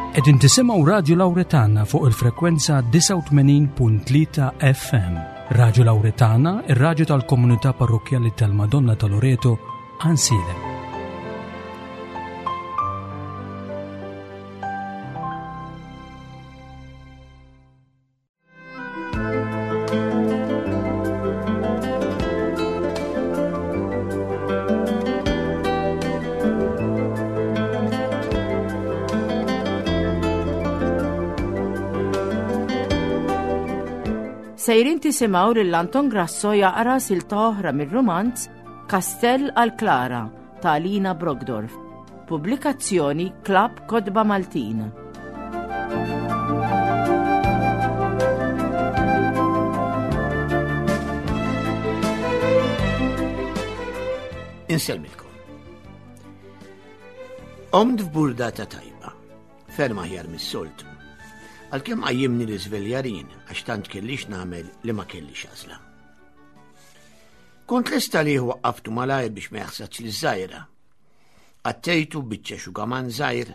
Qegħdin tisimgħu Radju Lawretana fuq il-frekwenza 89.3 FM. Radju Lawretana, ir-radju tal-komunità parrokkjali tal-Madonna ta' Loreto, Ansilem. Sejrin tisimgħu lil Anton Grasso jaqra silta oħra mir-rumanz Kastell għal Klara ta' Alina Brogdorf. Pubblikazzjoni Klabb Kotba Maltin. Insellmilkom. Omd f'burdata tajba, ferm aħjar mis-soltu. Għalkemm qajjimni l-iżveljarin għax tant kellix nagħmel li ma kellix għażla. Kont lesta li waqqaftu malajr biex ma jaħsadx li żgħira. Għattejtu biċċa xugaman żgħir,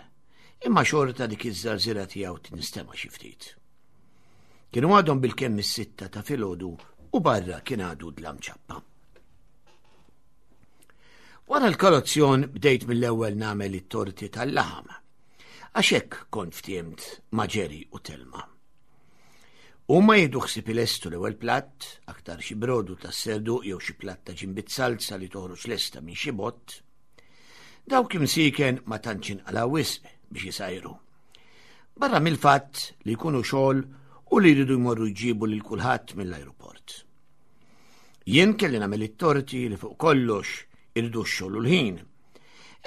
imma xorta dik iż-żarżira tiegħu tinstema' xi ftit. Kienu għadhom bil-kemm is-sitta ta' filgħodu u barra kien għadu dlam ċappa. Wara l-kolozzjon bdejt mill-ewwel nagħmel it-torti tal-laħam. Għax hekk kont ftiemt ma' Ġeri u Telma. Huma jieħdu ħsieb ilestu l-ewwel platt, aktar xi brodu tas-serduq jew xi platt ta' ġimbit salza li toħroġ lesta minn xi bott. Dawk imsieken ma tantx inqalgħu wisq biex isajru. Barra mill-fatt li jkunu xogħol u li jridu jmorru jġibu lil kulħadd mill-ajruport. Jien kelli nagħmel it-torti li fuq kollox iridu x-xogħol u l-ħin.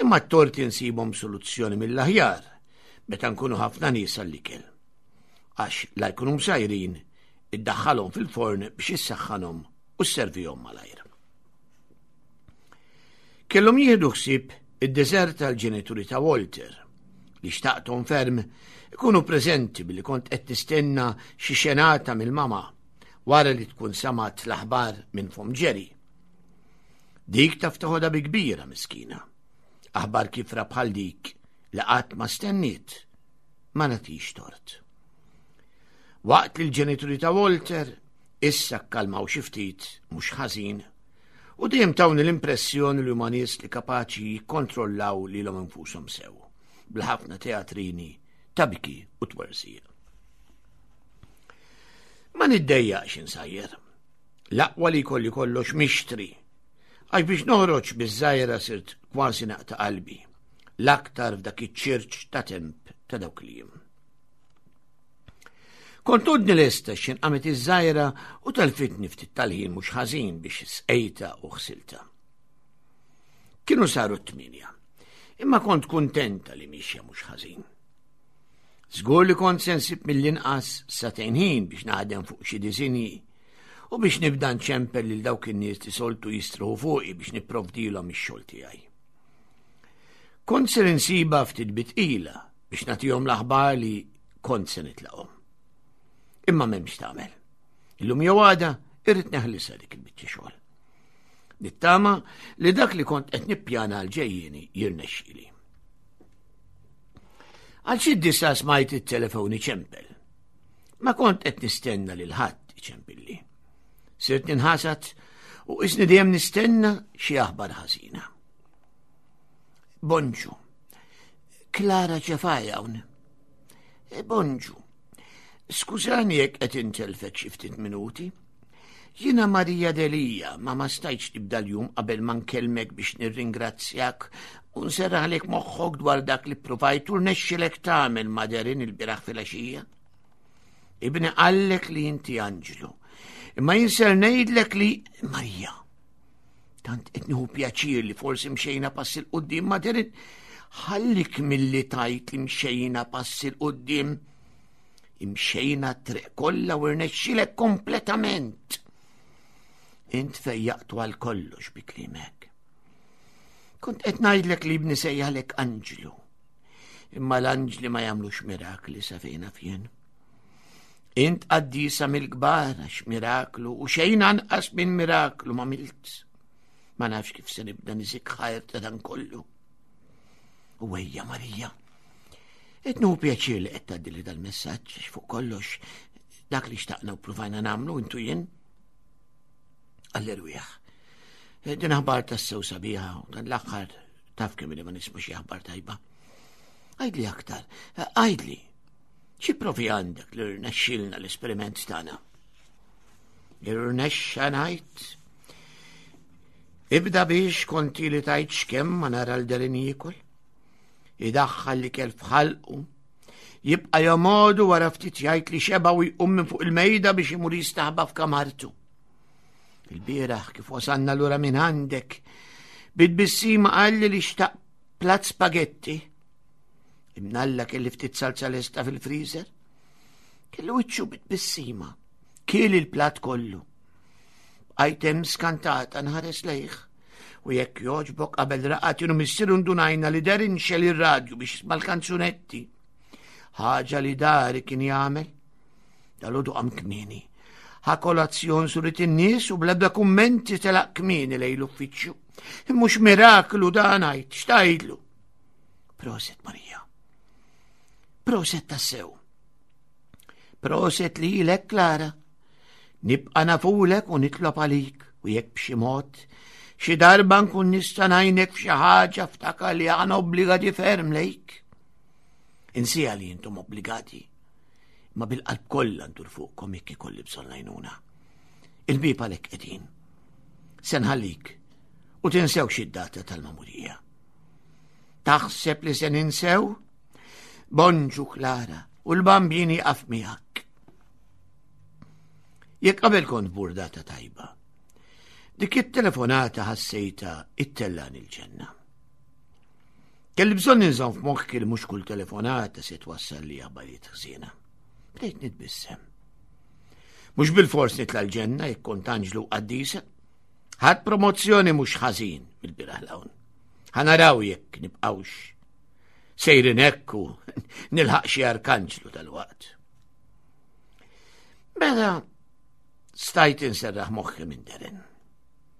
Imma t-torti nsibhom soluzzjoni mill-aħjar meta nkunu ħafna nies għall-ikel. Għax la jkunu msajrin, iddaħħalhom fil-forn biex issaħħanhom u sservihom malajr. Kellhom jieħdu ħsieb id-deżert tal-ġenituri ta' Walter, li xtaqthom ferm ikunu preżenti billi kont qed nistenna xi xenata mill-mama wara li tkun samat l-aħbar minn fom Jerry. Dik taf toħodha bi kbira miskina. Aħbar kifra bħal dik li qatt ma stenniet ma nagħtix tort. Waqt li l-ġenituri ta' Walter issa kkalmaw xi ftit mhux ħażin u dejjem tawni l-impressjoni li huma nies li kapaċi jikkontrollaw lilhom infushom sew bl-ħafna teatrini ta' biki u twerżiq. Ma niddejjaqx insajjer. L-aqwa li jkolli kollox mixtri. Għax biex noħroġ biż-żajra sirt kważi naqta' qalbi. L-aktar f'dak iċ-ċirċ ta' temp ta' dawk li jiem. Kont għodni lesta x'in qamet iż-żajra u telfitni ftit tal-ħin mhux ħażin biex sqejta u ħsilta. Kienu saru t-tminja, imma kont kuntenta li mixja mhux ħażin. Żgur li kont se nsib mill-inqas sagħtejn ħin biex naħdem fuq xi disinji u biex nibda nċempel lil dawk in-nies li soltu jistruħu fuqi biex nipprovdilhom ix-xogħol tiegħi. Kont se insiba ftit bitqila biex nagħtihom l-aħbar li kont se nitlaqhom. Imma m'hemmx tagħmel. Illum jew għada irrid neħlisa dik il-biċċa xogħol. Nittama li dak li kont qed nippjana għal ġejjieni jirnexxieli. Għal xi disa smajt it-telefon iċempel. Ma kont qed nistenna lil ħadd iċempilli. Sirt ninħasad u isni dejjem nistenna xi aħbar ħażina. Bonġu. Klara ċefaj hawn. E, bonġu. Skużani jekk qed intelfek xi ftit minuti. Jiena Marija Delia, ma ma stajtx nibda l-jum qabel ma nkellmek biex nirringrazzjak u nserraħlek moħħok dwar dak li ppruvajt u rnexxilek tagħmel ma' Derin il-bieraħ filgħaxija. Ibni qallek li inti anġlu. Imma jien ser ngħidlek li Marija. Tant qed nieħu pjaċir li forsi mxejna pass il quddiem ma' Derin. Ħallik milli tajt li mxejna pass il quddiem. Imxejna t-triq kollha u rnexxilek kompletament. Int fejjaqtu għal kollox bi kliemek. Kont qed ngħidlek li ibni sejjaħlek anġlu. Imma l-anġli ma jagħmlux mirakli sa fejn jien. Int qaddisa mill-kbar għax miraklu u xejn anqas minn miraklu ma milt. Ma nafx kif se nibda niżik ħajr ta' dan kollu. U ejja Marija. Qed nieħu pjaċir li qed tgħaddili dal-messaġġ fuq kollox dak li xtaqna u pruvajna nagħmlu intu jien għall-erwieħ. Eh, din aħbar tassew sabiħa u dan l-aħħar taf kemm li ma nisma' xi aħbar tajba. Għidli aktar, eh, għidli, xi provi għandek li rnexxilna l-esperiment tagħna? Irnexxa ngħid Ibda biex konti li tajt xkemm ma nara l-derin jiekol. Idaħħal l-ikel f'ħalqu. Jibqa' jomodu wara ftit jgħid li xeba u jqum minn fuq il-mejda biex imur jistaħba f'kamartu. Il-bieraħ kif wasanna lura minn għandek, bit-tbissima qalli li xtaq plat spagetti. Imnalla kelli ftit salza lesta fil-freezer. Kellu wiċċu bit-tbissima. Kiel il-plat kollu. Bqajt hemm skantata nħares lejh. U jekk jogħġbok qabel raqat jien u missieru ndunajna li Darren xel ir-radju biex jisma' l-kanzunetti. Ħaġa li dari kien jagħmel. Dalodu qam kmieni. Ħa kolazzjon surit in-nies u bl-ebda kummenti telaq kmieni lejn l-uffiċċju. Mhux miraklu dan għid, x'tgħidlu? Proset Marija. Proset tassew. Proset lilek Klara. Nibqa' nafulek u nitlob għalik u jekk b'xi mod xi darba nkun nista' ngħinek f'xi ħaġa ftakar li aħna obbligati ferm lejk. Insija li intom obbligati, ma bil-qalb kollha ndur fuqkom jekk ikolli bżonn għajnuna. Il-bieb għalhekk qegħdin. Se nħallik u tinsewx id-data tal-mamurija. Taħseb li se ninsew? Bonġu Klara, u l-bambini jaqaf miegħek. Jekk qabel kont burdata tajba, dik it-telefonata ħassejta it-tellan il-ġenna. Kelli bżonn inżomm f'moħħi li mhux kull telefonata se twassal li aħbarijiet ħżiena. Bdejt nitbissem. Mhux bil-fors nitla' l-ġenna jekk kont anġlu qaddisa. Ħadd promozzjoni mhux ħażin mill-biraħ l-hawn. Ħanaraw jekk nibqgħux sejrin hekk u nilħaq xi arkanġlu tal-waqt. Mela stajt inserraħ moħħi minn Darren.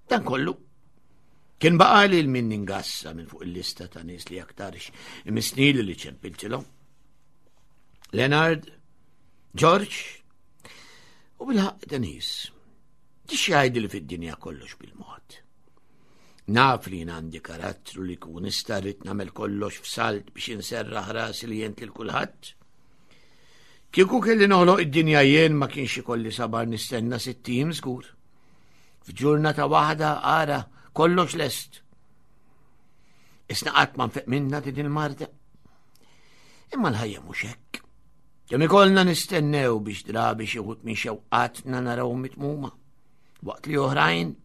Dan kollu kien baqali l min ningassa minn fuq il-lista ta' nies li aktarx imisnili li ċempiltilhom. Leonard, George u bil-ħaq Denise. Tix jgħid li fid-dinja kollox bil-mod. Naf li jien għandi karattru li kun nista' rrid nagħmel kollox f'salt biex inserraħ rasi li jent lil kulħadd. Kieku kelli noħloq id-dinja jien ma kienx ikolli sabar nistenna sittim żgur. F'ġurnata waħda ara kollox lest. Isna qatt ma nfeq minna din il-marda. Imma l-ħajja mhux hekk. Kemm ikollna nistennew biex drabi xi wħud minn xewqatna naraw mitmuma, waqt li oħrajn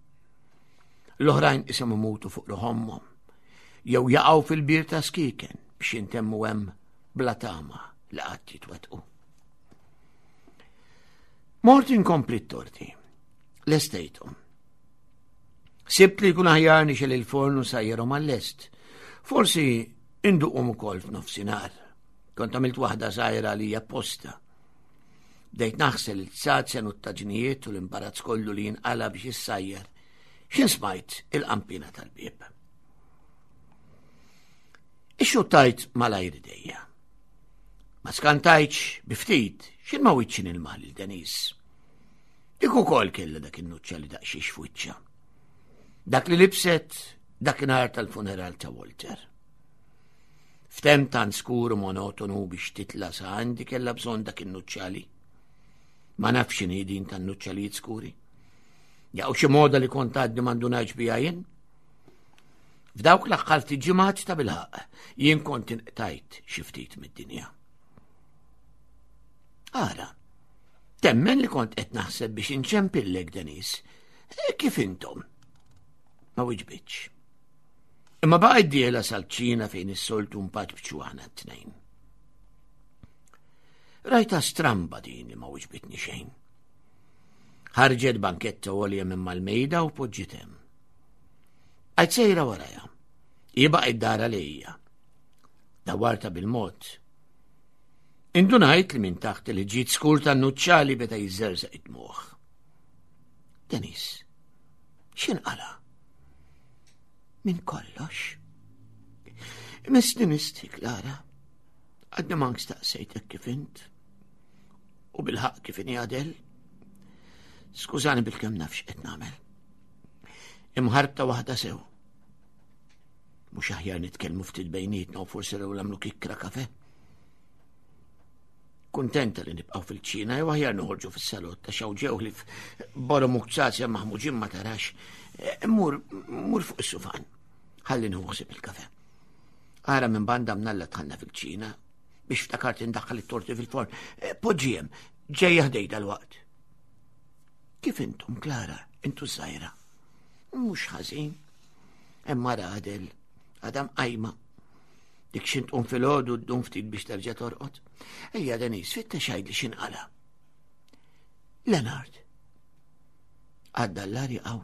L-oħrajn isom imutu fuq ruħommhom jew jaqgħu fil-bir ta' skiken biex jintemmu hemm bla tama li qatt jitwettqu. Mort inkompli t-torti. Lestejthom. Sibt li jkun aħjar nixel il-forn u sajjerhom għall-lest. Forsi induqhom ukoll f'nofsinhar. Kont għamilt waħda żgħira li hija posta. Bdejt naħsel il-tsazen u t-taġnijiet u l-imbarazz kollu li jinqala biex issajjar. X'in smajt il-qampina tal-bieb. Ixxuttajt malajr idejja. Ma skantajtx bi ftit x'in ma wiċċin il-maħ lil Denis. Dik ukoll kellha dak in-nuċċa li daqsxiex f'wiċċha. Dak li libset dakinhar tal-funeral ta' Walter. F'temp tant skur u monotonu biex titla' sa għandi kellha bżonn dak in-nuċċali. Ma nafx x'inhi din tan-nuċċalijiet skuri. Jaqgħu xi moda li kont għadni ma ndunajtx biha jien. F'dawk l-aħħar ftit ġimgħat ta' bilħaq jien kont inqtajt xi ftit mid-dinja. Ara, temmen li kont qed naħseb biex inċempillek Denis. E kif intom? Ma wiġbitx. Imma baqgħet dieħla sal-kċina fejn is-soltu mpaċbċu aħna t-tnejn. Rajta stramba din li ma wiġbitni xejn. Ħarġet banketta għolja minn mal-mejda u poġġiet hemm. Għajt sejra waraja. Hi baqgħet dara lejja. Dawarta bil-mod. Indunajt li minn taħt il-ġid skur tan-nuċċali beda jiżżerżaq id-dmuħ. Denis, x'inqala? Minn kollox. Misni misti, Klara. Għadni mank staqsejtek kif int. U bil-ħaq kif inhi Adel. Skużani bil-kemm naf x'qed nagħmel. Imħarbta waħda sew. Mhux aħjar nitkellmu ftit bejnietna u forsi rew nagħmlu kikkra kafe. Kuntenta li nibqgħu fil-ċina jew aħjar noħorġu fis-salott ta' xaw ġew li f'borom u kċaċja maħmuġin ma tarax. Eh, mur, mur fuq is-sufan. Ħalli nħu il-kafe. Ara minn banda mnalla tħanna fil-ċina biex ftakart indaħħal it-torti fil-forn. Eh, poġġiem, ġejja ħdej dal-waqt. Kif intom, Klara, intu żgħira? Mhux ħażin. Hemm Adel, għadam qajma. Dik xint tqum filgħodu ddum ftit biex terġa' torqod. Ejja Denis, fittex għidli x'inqala. Leonard. Għadda l-arja għaw.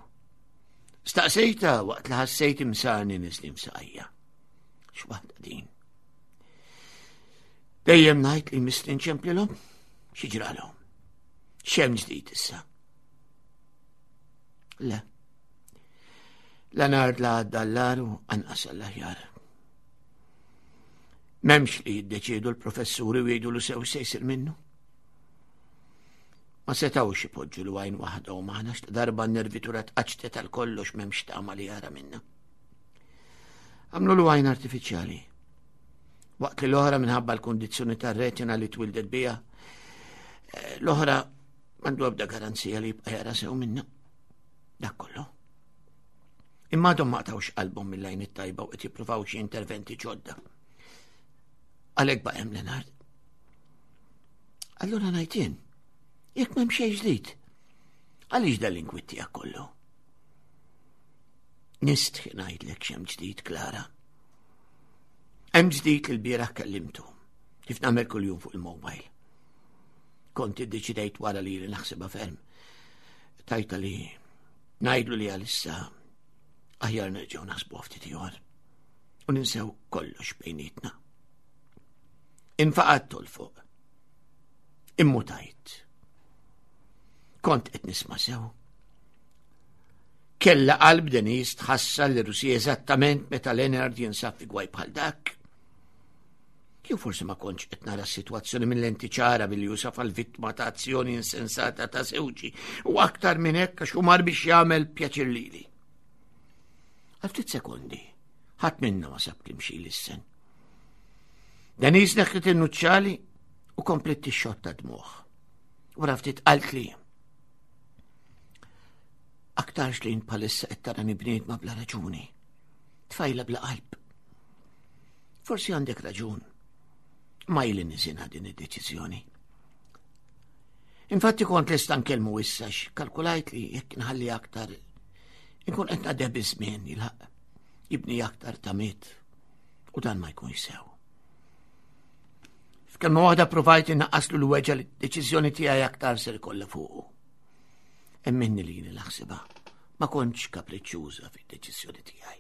Staqsejta waqt li ħassejt imsani nislim saqajja. X'waħda din. Dejjem ngħid li misli nċemplilhom, xi ġralhom. X'hemm ġdid issa? Le. La nar la għadda l-laru anqas għall-aħjar. Memx li jiddeċiedu l-professuri u jgħidu l sew se jsir minnu. Ma setawx ipoġġu l għajn waħda u maħna darba n-nervitura tqaċtet għal kollox memx tama li jara minna. Għamlu l għajn artifiċjali. Waqt li l-oħra minħabba l-kondizzjoni tar-retina li twildet bija, eh, l-oħra m'għandu ebda garanzija li jibqa' jara sew minna. Dak kollu. Imma għadhom ma qtawx qalbhom mill-għajn it-tajba u qed jippruvaw xi interventi ġodda. Għalhekk baqa' hemm Leonard. Allura ngħid jien, jekk m'hemm xejn ġdid, għaliex dal-inkwiet tiegħek kollu? Nistħi ngħidlek x'hemm ġdid, Klara. Hemm ġdid li l-bieraħ kellimtu, kif nagħmel kuljum fuq il-mobile. Kont iddeċidejt wara li li naħsibha ferm. Tajta li ngħidlu li għalissa aħjar nerġgħu naħsbu ftit ieħor u ninsew kollox bejnietna. Infaqat fuq. Immutajt. Kont qed nisma' sew. Kella qalb Denise tħassar li Rusija eżattament meta Leonard jinsab fi gwaj bħal dak. Jew forsi ma kontx qed nara s-sitwazzjoni minn lenti ċara billi jusaf għal vittma ta' azzjoni insensata ta' żewġi u aktar minn hekk għax mar biex jagħmel pjaċir lili. Għal ftit sekondi, ħadd minna ma sab klim xi lissen. Denise neħħet in-nuċċali u komplet tixxotta dmuħ. Wara ftit qalt li Aktarx li jien bħalissa qed tarani bniedma bla raġuni. Tfajla bla qalb. Forsi għandek raġun. Ma ili niżinha din id-deċiżjoni. Infatti kont lesta nkellmu issa kalkulajt li jekk nħalli aktar inkun qed naqdeb iż-żmien jilħaq jibni aktar tamiet u dan ma jkunx sew. F'kelma waħda provajt innaqqaslu l-weġa li d-deċiżjoni tiegħi aktar ser ikollha fuqu. Emminni li jini laħsiba, ma kontx kapriċċuża fid-deċiżjoni tiegħi.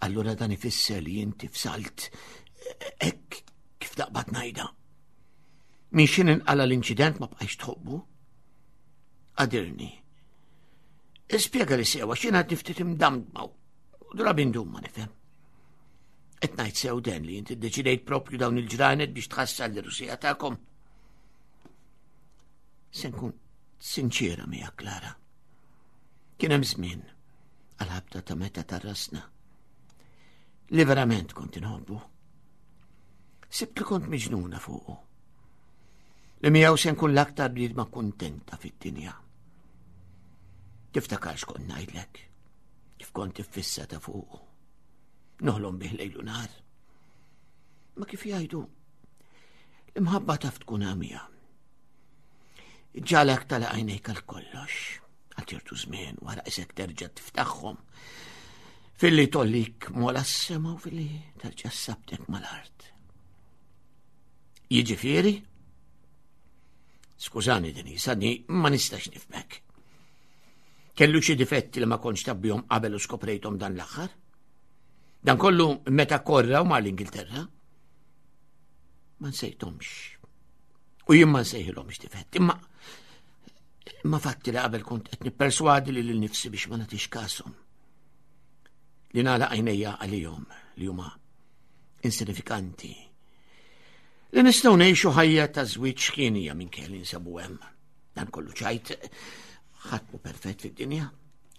Allura dan ifisser li inti fsalt hekk kif taqbad ngħidha. Min xin inqala l-inċident ma bqajx tħobbu? Qadirni. Ispjega li sewa x'jien għad niftit imdamdma u drabi ndum ma nifhem. Qed ngħid sew den li inti ddeċidejt propju dawn il-ġranet biex tħassal l-Rusija tagħkom. Se nkun sinċiera miegħek, Klara. Kien hemm żmien għal-ħabta ta' meta tarrasna li verament kont inħobbu. Sibt li kont miġnuna fuqu. Li miegħu se nkun l-aktar bniedma kuntenta fid-dinja. Tiftakar x'kont ngħidlek, kif kont iffissa ta' fuqu. Noħlom bih lejlu nar. Ma kif jgħidu, L-imħabba taf tkun għamija. Ġalek tala għajnejk għal kollox, għal ċertu żmien wara isek terġa' tiftaħhom. Filli tollik mola s-sema u filli terġa' sabtek mal-art. Jiġifieri? Skużani Denise, għadni ma nistax nifmek. Kellu xi difetti li ma kontx tabbihom qabel u skoprejthom dan l-aħħar? Dan kollu meta korra u mar l-Ingilterra? Ma nsejthomx. U jien ma nsejħilhomx difetti, imma imma fatti li qabel kont qed nipperswadi li lil nifsi biex ma nagħtix kashom. Li nagħlaq għajnejja għalihom li huma Insinifikanti. Li nistgħu ngħixu ħajja ta' żwieġ ħienija minn kelli nsabu hemm. Dan kollu ċajt ħadd mhu perfett fid-dinja.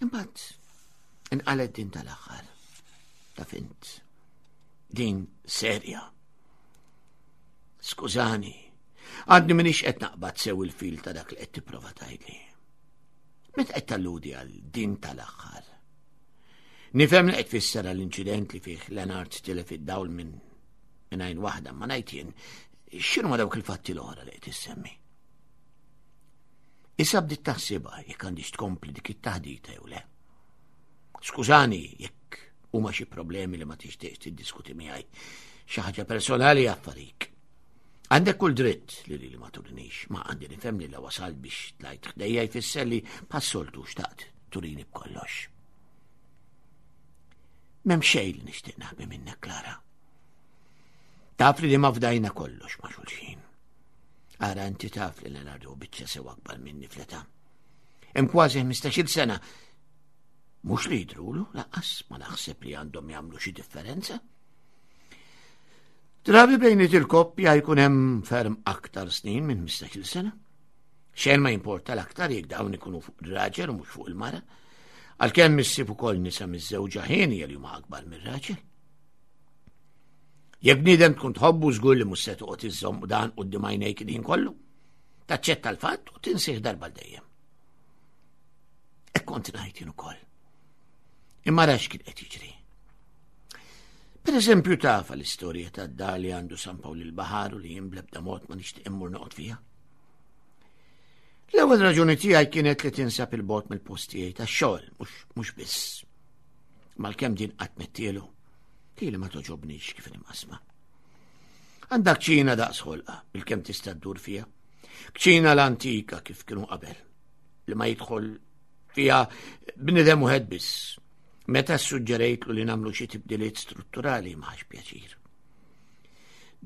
Imbagħad inqalet din tal-aħħar. Taf int. Din serja. Skużani, għadni minix qed naqbad sew il-fil ta' dak li qed tipprova tgħidli. Meta qed talludi għal din tal-aħħar? Nifhem li qed tfisser għall-inċident li fih Leonard tilef id-dawl minn minn għajn waħda, ma ngħid jien x'inhu ma dawk il-fatti l-oħra li qed issemmi. Issa bdiet taħsibha jekk għandix tkompli dik it-taħdita jew le. Skużani jekk huma xi problemi li ma tixtieqx tiddiskuti miegħi. Xi ħaġa personali affarik. Għandek kull dritt li li ma turinix, ma għandi nifhem li la wasal biex tlajt ħdejja jfisser li passoltu xtaqt turini b'kollox. M'hemm xejn li nixtieq naħbi minnek, Klara. Taf li li ma fdajna kollox ma' xulxin. Ara inti taf li Leonardo biċċa sew akbar minni fl-età. Hemm kważi 15-il sena. Mhux li jidrulu, laqqas ma naħseb li għandhom jagħmlu xi differenza. Drabi bejniet il-koppja jkun hemm ferm aktar snin minn 15-il sena. Xejn ma jimporta l-aktar jekk dawn ikunu fuq ir-raġel u mhux fuq il-mara. Għalkemm issib ukoll nisa miż-żewġa ħieni li huma akbar mir-raġel. Jekk bniedem tkun tħobbu żgur li mhux se toqgħod iżżomm dan quddiem għajnejk il-ħin kollu. Taċċetta l-fatt u tinsih darba dejjem. Hekk kont ngħid jien ukoll. Imma rax kien qed jiġri. Per eżempju tafa l-istorja ta' dar li għandu San Pawl il-Baħar u li jien bl-ebda mod ma nixtieq immur noqgħod fiha. L-ewwel raġuni tiegħi kienet li tinsab il-bot mill-postijiet tax-xogħol, mhux biss. Malkemm din qatt mettielu, li ma toġobnix kif imqasma. Għandak ċina daqs ħolqa, bil-kemm tista' ddur fiha. Kċina l-antika kif kienu qabel, li ma jidħol fiha bnidem wieħed biss. Meta suġġerejtlu li nagħmlu xi tibdiliet strutturali ma ħax pjaċir.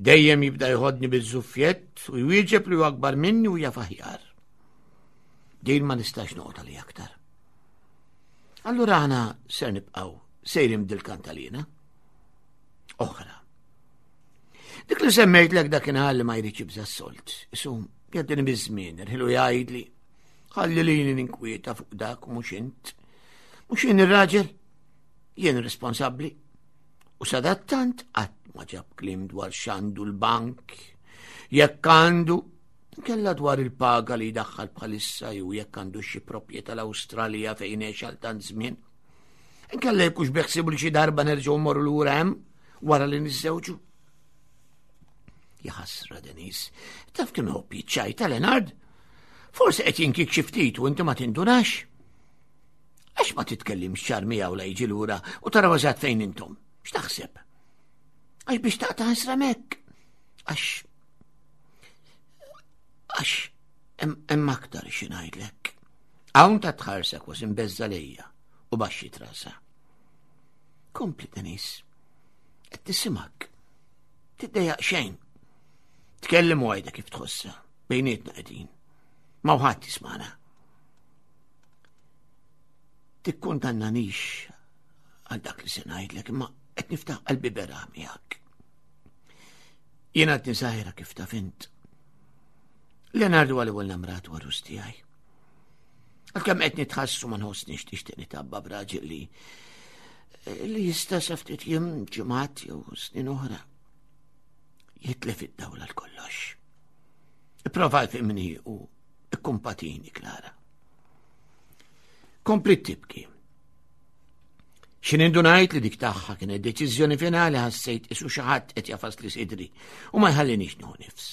Dejjem jibda jħodni biż-żuffjett u jwieġeb li hu akbar minni u jaf aħjar. Din ma nistax noqgħod għalija aktar. Allura aħna ser nibqgħu sejrin dil-kantalina. Oħra. Dik li semmejtlek dakinhar li ma jridx jibża' s-solt. Isu, jaddini biż-żmien, irħilu jgħidli. Ħalli lili ninkwieta fuq dak u mhux int. Mhux jien ir-raġel, jien responsabbli. U sadattant qatt ma ġab kliem dwar x'għandu l-bank, jekk għandu Kella dwar il-paga li jdaħħal bħalissa jew jekk għandu xi proprjetà l-Awstralja fejn għex għal tant żmien. Inkella jekk hux beħsibu li xi darba nerġgħu mmorru lura hemm wara li niżżewġu. Jaħasra Denis, taf kemm iħobb jiċċajta Leonard? Forsi qed jinkik xi ftit u inti ma tindunax. Għax ma titkellimx ċar miegħu la jiġi lura u taraw eżatt fejn intom. X'taħseb? Għax biex taqta' ħasra mek. Għax Għax hemm aktar xi ngħidlek. Hawn ta' tħarsa kważi mbeżza lejja u baxxi trasa. Kompli Denis, qed nisimak. Tiddejjaq xejn. Tkellem u għajda kif tħossa, bejnietna qegħdin. Ma ħadd jismana. Tikkundannanix għal dak li se ngħidlek, imma qed niftaħ qalbi beraħ miegħek. Jien għadni żgħira kif taf int. Leonardo għal ewwel namrat warus tiegħi. Għalkemm qed nitħassu ma nħossniex tixtieq nitabba b'raġel li li jista' sa ftit jiem ġimgħat jew snin oħra jitlef id-dawla l kollox. Ipprova fimni u ikkumpatini Klara. Kompli tibki. X'in indunajt li dik tagħha kienet deċiżjoni finali ħassejt isu xi ħadd qed jafas li sidri u ma jħallinix nieħu nifs.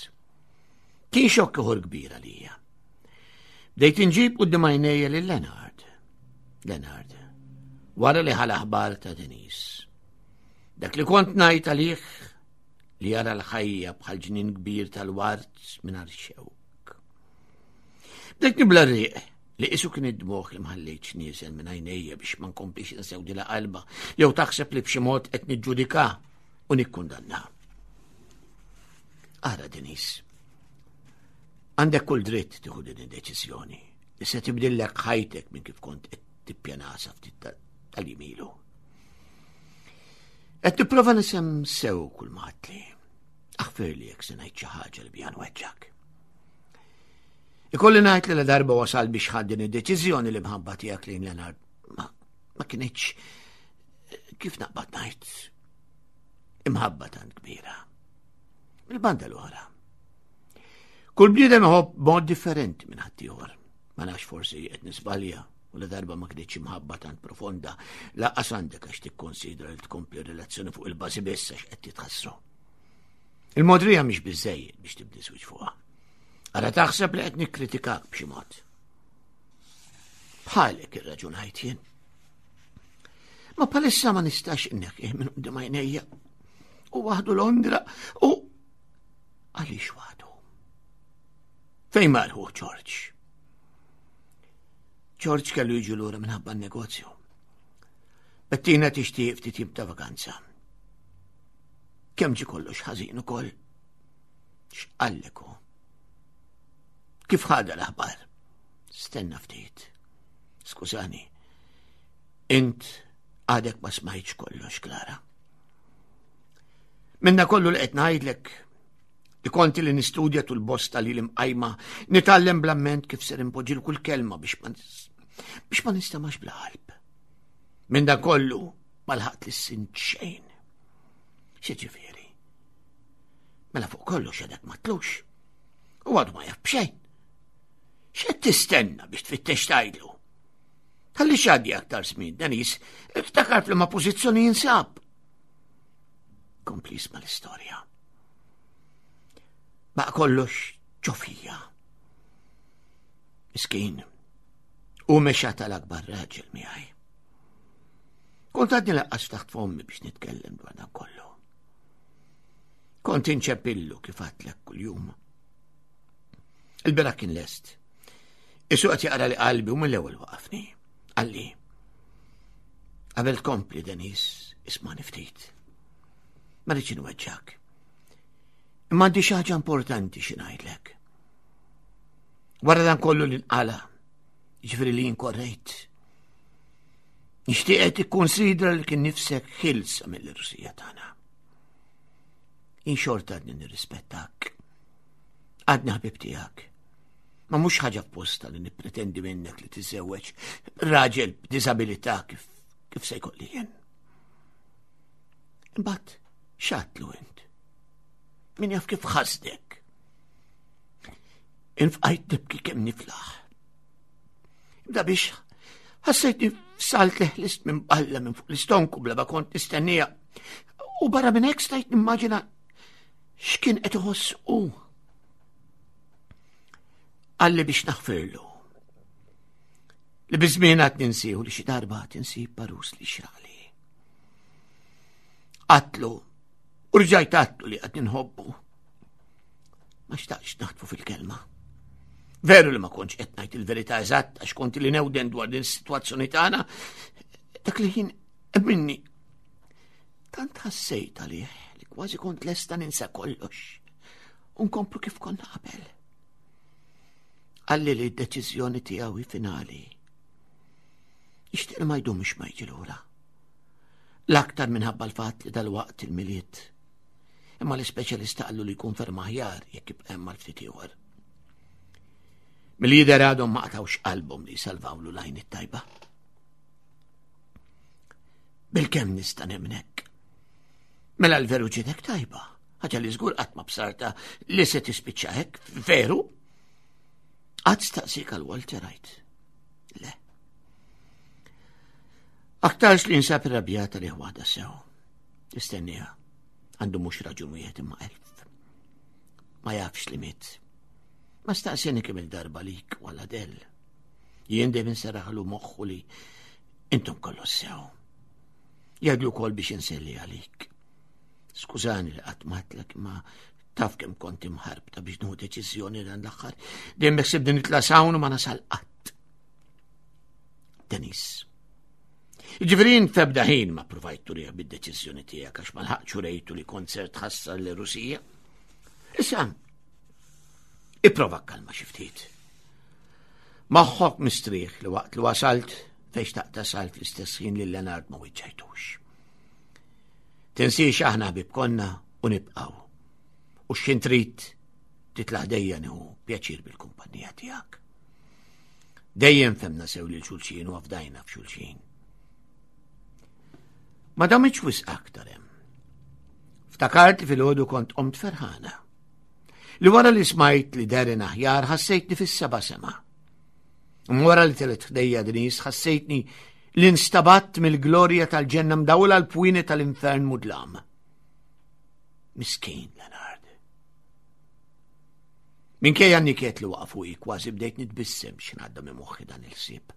Kien xokk ieħor kbir għalija. Bdejt inġib quddiem għajnejja lil Leonard. Leonard, wara li ħal aħbar ta' Denise. Dak li kont ngħid għalih li jara l-ħajja bħal ġnien kbir tal-ward mingħajr xewk. Bdejt nibla rriq li qisu kien id-dmugħ li mħallejtx nieżel minn għajnejja biex ma nkomplix insewdilha qalba jew taħseb li b'xi mod qed niġġudika u nikkundanna. Ara Denis, għandek kull dritt tieħu din id-deċiżjoni li se tibdillek ħajtek minn kif kont qed tippjana sa ftit tal-jimilu. Qed nipprova nisem sew kull ma għadtli. Aħfirli jekk se ngħid xi ħaġa li biha nweġġak. Ikolli ngħid li la darba wasal biex ħadd din id-deċiżjoni li mħabba tiegħek lejn Leonard ma, ma kinitx kif naqbad ngħid imħabba tant kbira. Il-banda l-oħra. Kull bniedem iħobb mod differenti minn ħaddieħor. Ma nafx forsi qed nisbalja u la darba ma kinitx imħabba tant profonda, laqqas għandek għax tikkonsidra li tkompli relazzjoni fuq il-bażi biss għax qed titħassru. Il-modrija mhix biżejjed biex tibni żwieġ fuqha. Ara taħseb li qed nikkritikak b'xi mod. Bħalek irraġunajt jien. Ma palissa ma nistax inneħħih minn qudiem għajnejja. U waħdu Londra u għaliex waħdu? Fejn marħu George? George kellu jiġi lura minħabba n-negozju. Bettina tixtieq ftit jiem ta' vakanza. Kemm ġi kollox ħażin ukoll. X'qallek hu? Kif ħadha l-aħbar? Stenna ftit. Skużani. Int għadek ma smajtx kollox, Klara. Minna kollu li qed ngħidlek li konti li nistudja tul bosta li l-imqajma nitgħallem bl-amment kif ser impoġġi kull kelma biex ma biex ma nistamax bla qalb. Minn dan kollu ma lħaqt li sint xejn. Xi ġifieri? Mela fuq kollox għadek ma tlux. U għadu ma jaf b'xejn. X'qed tistenna biex tfittex tgħidlu? Ħalli xaddi aktar żmien, Denis, iftakar f'liema pożizzjoni jinsab. Kompli isma' l-istorja. Baqa kollox ġofija. Miskin, u mexa tal-akbar raġel miegħi. Kont għadni laqqas taħt fommi biex nitkellem dwar dan kollu. Kont inċepillu kif għatlek kuljum. Il-bera kien lest. Isu qed jaqra li qalbi u mill-ewwel waqafni. Qalli. Qabel tkompli Denis, isma' ftit. Ma rridx inweġġak. Imma għandi xi ħaġa importanti xi ngħidlek. Wara dan kollu li nqala, ġifieri li jinkorrejt. Nixtieq qed tikkonsidra li kien nifsek ħilsa mill-Rusija tagħna. In xorta għadni nirrispettak. Għadni ħbib tiegħek. Ma mhux ħaġa f'posta li nippretendi minnek li tiżewweġ raġel b'diżabilità kif kif se jkolli jien. Imbagħad x'għadtlu int? Min jaf kif ħasdek? Infqajt nibki kemm niflaħ. Ibda biex ħassejtni f'salt li ħlist minn balla minn fuq l-istonku bla ma kont nistennija. U barra minn hekk stajt nimmaġina x'kien qed iħoss hu. Qalli biex naħfirlu. Li biżmien għad ninsieħu li xi darba tinsib parus li xrali. Qatlu, u rġajt għatlu li għad nħobbu. Ma xtaqx naħtfu fil-kelma. Veru li ma kontx qed ngħid il-verità eżatt għax kont li newden dwar din is-sitwazzjoni tagħna, dak li ħin minni tant ħassejt għalih li kważi kont lesta ninsa kollox u nkomplu kif konna qabel. Qalli li d-deċiżjoni tiegħu hi finali. Nixtieq li ma jdumx ma jiġi lura. L-aktar minħabba l-fatt li dal-waqt il-miliet. Imma l-ispeċjalista qallu li jkun ferm aħjar jekk jibqa' hemm għal ftit ieħor. Mill-jidher għadhom ma qatgħux qalbhom li jsalvawlu l-għajn it-tajba. Bil-kemm nista' nemnek. Mela l-veru ġitek tajba, ħaġa li żgur qatt ma bsarta li se tispiċċa hekk, veru? Qatt staqsik għal Walter għajt. Le. Aktarx li nsab irrabjata li ħwada sew. Istennija, għandu mhux raġun wieħed imma elf. Ma jafx li miet. Ma staqsini kemm il-darba lik wala del. Jien dejjem inseraħlu moħħu li intom kollu sew. Jgħidlu wkoll biex inselli għalik. Skużani li qatt matlek ma taf kemm kont imħarbta biex nieħu deċiżjoni dan l-aħħar. Dejjem beħsibni nitla' sawn u ma nasal qatt. Denis. Ġifieri f'ebda ħin ma provajt turih bid-deċiżjoni tiegħek għax ma lħaqx urejtu li kont ser tħassar l Rusija. Issa, ipprova kalma xi ftit. Moħħok mistrieħ li waqt li wasalt fejn xtaqt tasal fl-istess ħin lil Leonard ma wiċċajtux. Tinsiex aħna ħbieb konna u nibqgħu. U x'ħin trid titla' ħdejja nieħu pjaċir bil-kumpanija tiegħek. Dejjem femna sew lil xulxin u afdajna f'xulxin. Ma damitx wisq aktar hemm. Ftakart li filgħodu kont qomt ferħana. Li wara li smajt li Darren aħjar ħassejtni fis-seba' sema. Wara li telet ħdejja Denise ħassejtni li nstabatt mill-glorja tal-ġenna mdawla l-pwini tal-infern mudlam. Miskin Leonard. Minkejja n-niket li waqa' fuqi kważi bdejt nitbissem x'ngħadda minn moħħi dan il-ħsieb.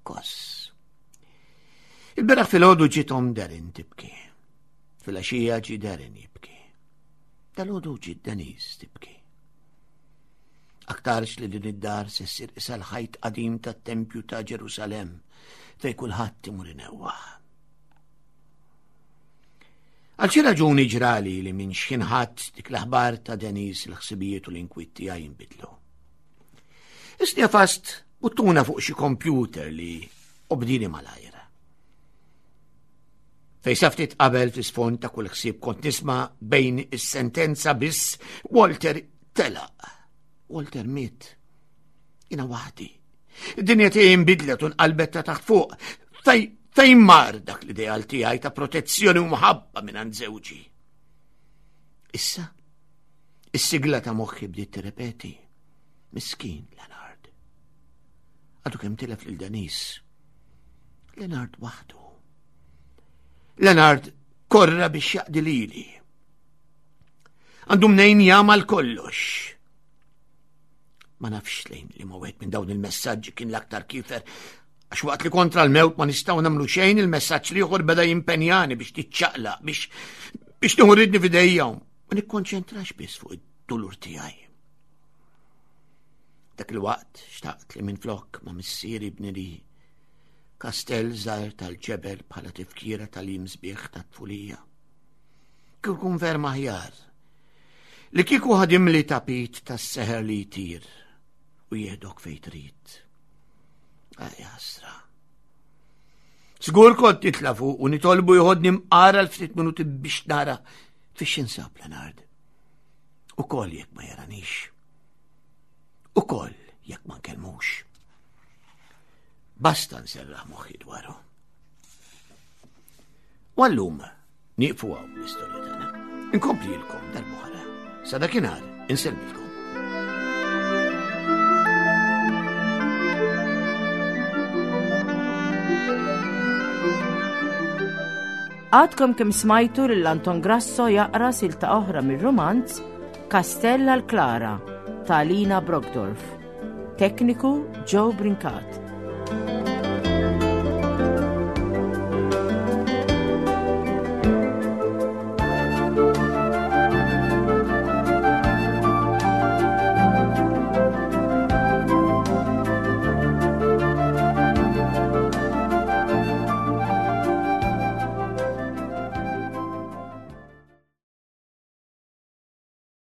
Koss. Il-beraħ fil-ħodu ġiet om Darren tibki. Fil-għaxija ġi Darren jibki. Dal-ħodu ġiet Denise tibki. Aktarx li din id-dar se ssir isa l-ħajt qadim tat-tempju ta' Ġerusalemm fej kulħadd imur inewwaħ. Għal xi raġuni ġrali li minn xħin ħadd dik l-aħbar ta' Denis il-ħsibijiet u l-inkwiet tiegħi jinbidlu. Isni fast buttuna fuq xi kompjuter li obdini malajr. Fej sa ftit qabel fl-isfond ta' kull ħsieb kont nisma' bejn is-sentenza biss Walter telaq. Walter miet. Jina waħdi. Id-dinja tiegħi nbidlet u nqalbet ta' taħt fuq. Fej fejn mar dak l-ideal tiegħi ta' protezzjoni u mħabba minn għand żewġi. Issa, is-sigla ta' moħħi bdiet tirrepeti. Miskin Leonard. Għadu kemm tilef lil Denis. Leonard waħdu. Leonard korra biex jaqdi lili. Għandu mnejn jagħmal kollox. Ma nafx lejn li ma wieħed minn dawn il-messaġġi kien l-aktar kifer għax waqt li kontra l-mewt ma nistgħu nagħmlu xejn il-messaġġ l-ieħor beda jimpenjani biex tiċċaqlaq biex biex nieħu ridni f'idejja ma nikkonċentrax biss fuq id-dulur tiegħi. Dak il-waqt xtaqt li minflok ma missieri bni li kastell żgħir tal-ġebel bħala tifkira tal-jiem sbieħ tat-tfulija. Kieku kun ferm aħjar. Li kieku ħadimli tapit tas-seħer li jtir u jieħdok fejn trid. Aj ħasra. Żgur kont nitla' fuq u nitolbu jħodni mqara l-ftit minuti biex nara fiex jinsab Leonard. Ukoll jekk ma jaranix. Ukoll jekk ma nkellmux. Basta nserraħ moħħi dwaru. U għallum nieqfu hawn l-istorja tagħna. Inkomplilkom darb'oħra. Sa dakinhar insellmilkom. Għadkom kemm smajtu lil Anton Grasso jaqra silta oħra mir-rumanz Kastell għal Klara ta' Lina Brockdorf. Tekniku Joe Brincat.